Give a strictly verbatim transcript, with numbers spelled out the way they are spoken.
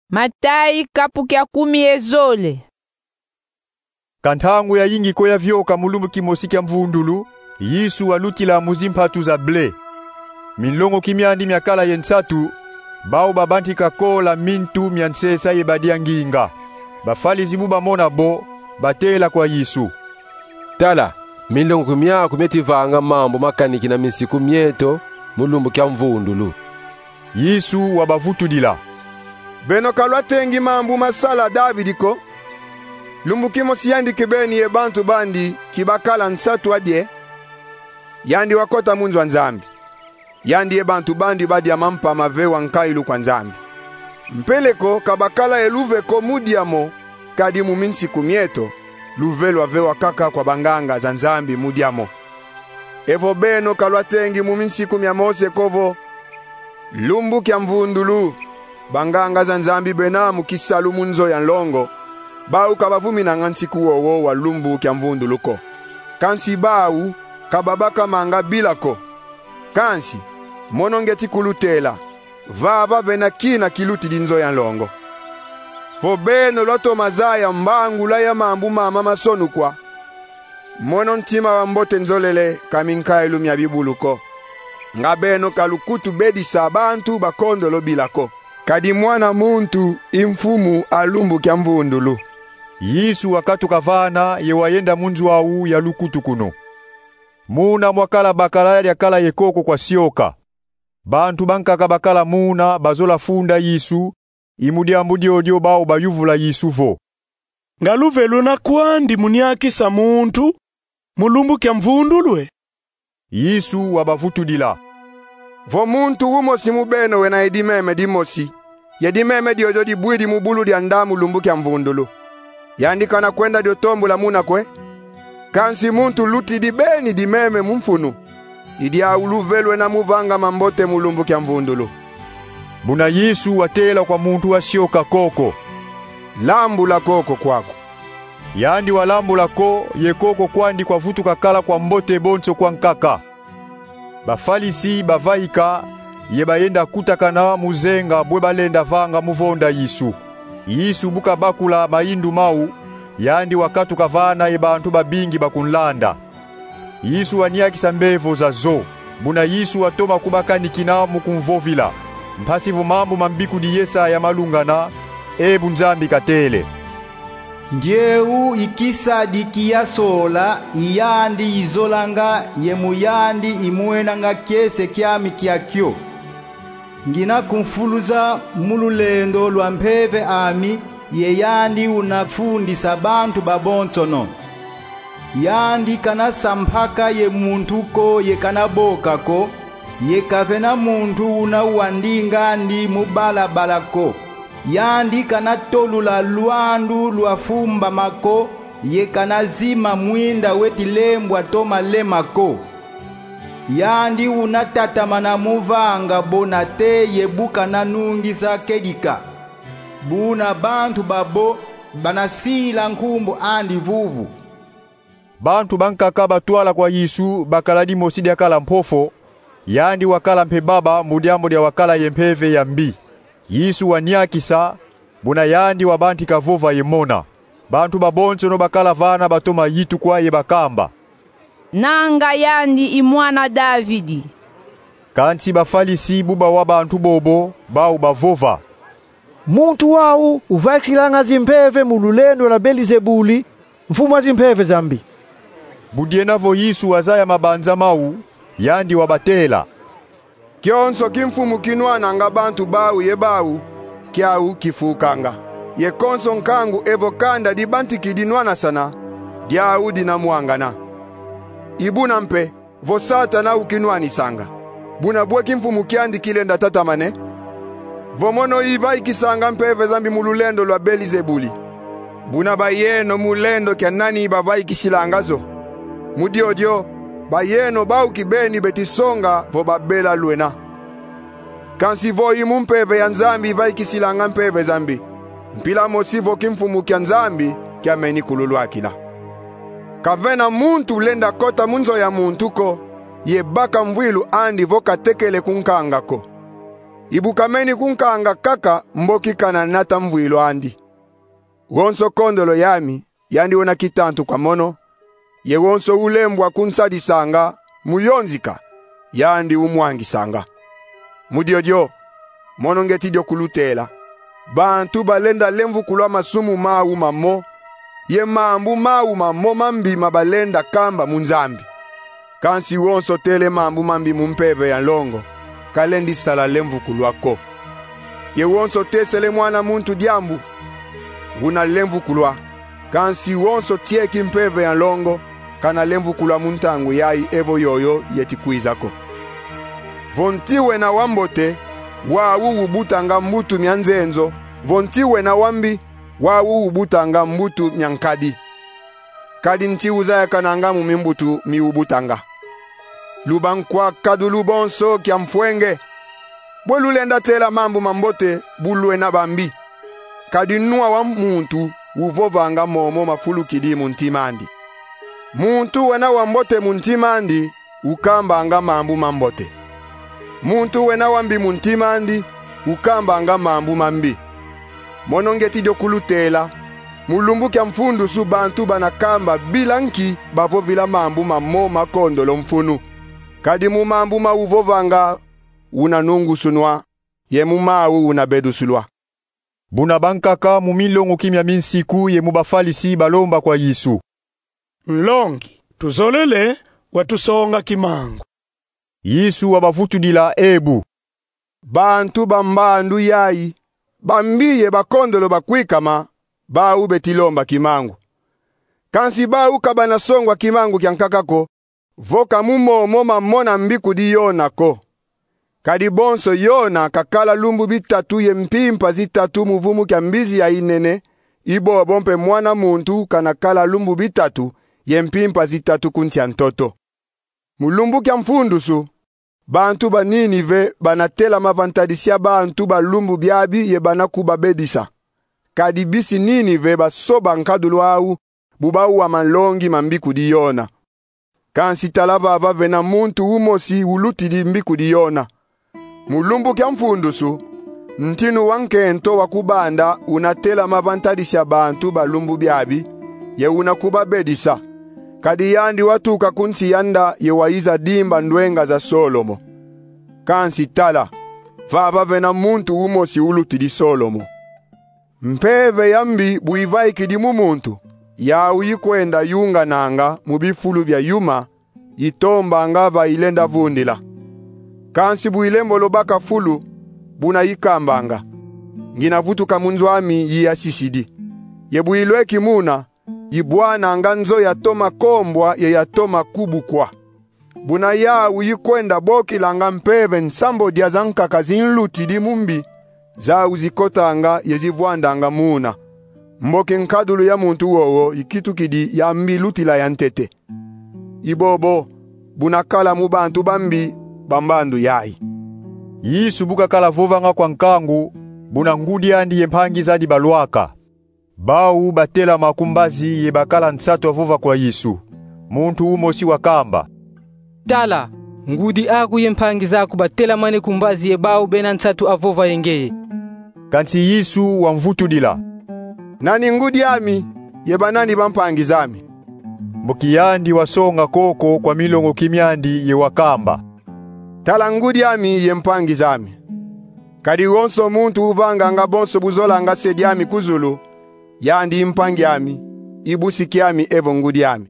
Matayi kapu kia kumi ye zole. Ka ntangu yayingi ko yavioka mu lumbu kimosi kia mvundulu, Yesu walutila mu zimpatu za ble. Minlongoki miandi miakala ye nsatu, bau babantika kola mintu mia nsesa ye badia nginga. Bafalisi bu bamona bo, batela kwa Yesu: Tala, minlongoki miaku mieti vanga mambu makanikina minsiku mieto mu lumbu kia mvundulu. Yesu wabavutudila: Beno ka lwatengi mambu masala Davidi ko? Lumbu kimosi yandi kibeni ye bantu bandi kibakala nsatu adie, yandi wakota mu nzo a Nzambi. Yandi ye bantu bandi badia mampa mavewa nkailu kwa Nzambi. Mpeleko ka bakala ye luve ko mu dia mo, kadi mu minsiku mieto, luve lwavewa kaka kwa banganga za Nzambi mu dia mo. Evo beno ka lwatengi mu minsiku mia Mose ko vo: Lumbu kia mvundulu, banganga za Nzambi bena mu kisalu mu nzo ya nlongo, bau ka bavuminanga nsiku wowo wa lumbu kia mvundulu ko. Kansi bau ka babakamanga bila ko. Kansi, mono ngieti kulutela, vava vena kina kilutidi nzo ya nlongo. Vo beno lwatoma zaya mbangula ya mambu mama masonukwa, mono ntima wa mbote nzolele ka minkailu mia bibulu ko. Nga beno ka lukutu bedisa bantu bakondolo bila ko, kadi Mwana muntu i Mfumu a lumbu kia mvundulu. Yesu wakatuka vana ye wayenda mu nzo au ya lukutukunu. Muna mwakala bakala diakala ye koko kwa sioka. Bantu bankaka bakala muna bazola funda Yesu, i mu diambu diodio bau bayuvula Yesu vo: Nga luve luna kwandi mu niakisa muntu mu lumbu kia mvundulu e? Yesu wabavutudila: Vo muntu umosi mu beno wena ye dimeme dimosi, ye dimeme diodio dibwidi mu bulu dia nda mu lumbu kia mvundulu, yandi kana kwenda dio tombula muna ko e? Kansi muntu lutidi beni dimeme mu mfunu, i diau luve lwena mu vanga mambote mu lumbu kia mvundulu. Buna Yesu watela kwa muntu wa sioka koko: Lambula koko kwaku. Yandi walambula ko, ye koko kwandi kwavutuka kala kwa mbote bonso kwa nkaka. Bafalisi bavaika, ye bayenda kutakana mu zenga bwe balenda vanga mu vonda Yesu. Yesu bu kabakula mayindu mau, yandi wakatuka vana ye bantu babingi bakunlanda. Yesu waniakisa mbevo zazo. Buna Yesu watoma kubakanikina mu kumvovila, mpasi vo mambu ma mbikudi Yesaya malungana, e bu Nzambi katele: Ngieu i kisadi ki yasola, i yandi izolanga, ye mu yandi imwenanga kiese kiami kiakio. Ngina kumfuluza mu lulendo lwa mpeve ami, ye yandi una fundisa bantu babonsono. Yandi kana sampaka ye muntu ko, ye kana boka ko, ye kavena muntu una wandinga andi mu balabala ko. Yandi kana tolula lwandu lwa fumbama ko, ye kana zima mwinda weti lembwa to malema ko. Yandi una tatamana mu vanga bona te, ye bu kana nungisa kedika. Buna bantu babo bana sila nkumbu andi vuvu. Bantu bankaka batwala kwa Yesu bakala dimosi diakala mpofo, yandi wakala mpe baba mu diambu dia wakala ye mpeve ya mbi. Yesu waniakisa, buna yandi wabantika vova ye mona. Bantu babonsono bakala vana batoma yitukwa ye bakamba: Nanga yandi i mwana Davidi. Kansi Bafalisi bu bawa bantu bobo, bau bavova: Muntu wau uvaikilanga zimpeve mu lulendo lwa Belizebuli, mfumu a zimpeve za mbi. Bu diena vo Yesu wazaya mabanza mau, yandi wabatela: Kionso kimfumu kinwananga bantu bau ye bau, kiau kifukanga. Ye konso nkangu evo kanda dibantikidi nwanasana, diau dina mwangana. I buna mpe, vo Satana ukinwanisanga, buna bwe kimfumu kiandi kilenda tatamane? Vo mono ivaikisanga mpeve za mbi mu lulendo lwa Belizebuli, buna bayeno mu lendo kia nani bavaikisilanga zo? Mu diodio, bayeno bau kibeni beti songa vo babela lwena. Kansi vo i mu mpeve ya Nzambi ivaikisilanga mpeve za mbi, mpila mosi vo kimfumu kia Nzambi kiameni kululwakila. Kavena muntu lenda kota mu nzo ya muntu ko, ye baka mvwilu andi vo katekele kunkanga ko. Ibukameni kunkanga kaka mboki kana nata mvwilu andi. Wonso kondolo yami, yandi wena kitantu kwa mono, ye wonso ulembwa kunsadisanga mu yonzika, yandi umwangisanga. Mu diodio, mono ngeti dio kulutela: bantu balenda lemvukulwa masumu mau mamo, ye mambu mau mamo mambi ma balenda kamba mu Nzambi. Kansi wonso tele mambu mambi mu mpeve ya nlongo, kalendi sala lemvukulwa ko. Ye wonso tesele Mwana muntu diambu, una lemvukulwa. Kansi wonso tieki mpeve ya nlongo, kana lemvukulwa mu ntangu yayi evo yoyo yeti kwiza ko. Vo nti wena wambote, wau ubutanga mbutu mia nzenzo, vo nti wena wambi, wau ubutanga mbutu mia nkadi. Kadi nti uzayakananga mu mimbutu mi ubutanga. Lubankwa kadulu bonso kia mfwenge. Bwe lulenda tela mambu mambote bu lwena bambi. Kadi nwa wa muntu uvovanga momo mafulukidi mu ntim'andi. Muntu wena wambote mu ntim'andi ukambanga mambu mambote. Muntu wena wambi mu ntim'andi ukambanga mambu mambi. Mono ngeti dio kulutela: mu lumbu kia mfundusu bantu bana kamba bila nki bavovila mambu mamo ma kondolo mfunu. Kadi mu mambu ma uvovanga una nungusunwa, ye mu mau una bedusulwa. Buna bankaka mu milongoki mia minsiku ye mu Bafalisi balomba kwa Yesu: Nlongi, tuzolele watusonga kimangu. Yesu wabavutudila ebu: Bantu ba mbandu yayi, bambi ye bakondolo bakwikama, bau beti lomba kimangu. Kansi bau ka bana songwa kimangu kia nkaka ko, vo ka mu momo mamona mbikudi Yona ko. Kadi bonso Yona kakala lumbu bitatu ye mpimpa zitatu mu vumu kia mbizi ya yinene, ibobo mpe Mwana muntu kana kala lumbu bitatu ye mpimpa zitatu ku nsi a ntoto. Mu lumbu kia mfundusu, bantu ba Ninive bana telama va ntadisi ya bantu ba lumbu biabi ye bana kubabedisa. Kadi bisi Ninive basoba nkadulu au, bu bawa malongi ma mbikudi Yona. Kansi tala, vava vena muntu umosi ulutidi mbikudi Yona. Mu lumbu kia mfundusu, ntinu wa nkento wa kubanda una telama va ntadisi ya bantu ba lumbu biabi, ye una kubabedisa. Kadi yandi watuka ku nsi ya nda ye wayiza dimba ndwenga za Solomo. Kansi tala, vava vena muntu umosi ulutidi Solomo. Mpeve ya mbi bu ivaikidi mu muntu, yau ikwenda yungananga mu bifulu bia yuma, itombanga va ilenda vundila. Kansi bu ilembolo baka fulu, buna ikambanga: Ngina vutuka mu nzo ami yiyasisidi. Ye bu ilweki muna, ibwananga nzo yatoma kombwa ye yatoma kubukwa. Buna yau ikwenda bokilanga mpeve nsambwadia zankaka zinlutidi mu mbi, zau zikotanga ye zivwandanga muna. Mboki nkadulu ya muntu wowo ikitukidi ya mbi lutila ya ntete. Ibobo, buna kala mu bantu bambi ba mbandu yayi. Yesu bu kakala vovanga kwa nkangu, buna ngudi andi ye mpangi zandi balwaka. Bau batelama ku mbazi ye bakala nsatu avova kwa Yesu. Muntu umosi wakamba: Tala, ngudi aku ye mpangi zaku batelamane ku mbazi ye bau bena nsatu avova ye ngeye. Kansi Yesu wamvutudila: Nani ngudi ami, ye banani bampangi zami? Mboki yandi wasonga koko kwa milongoki miandi ye wakamba: Tala ngudi ami ye mpangi zami. Kadi wonso muntu uvanganga bonso bu zolanga se diami ku zulu, yandi i mpangi ami, i busi kiami evo ngudi ami.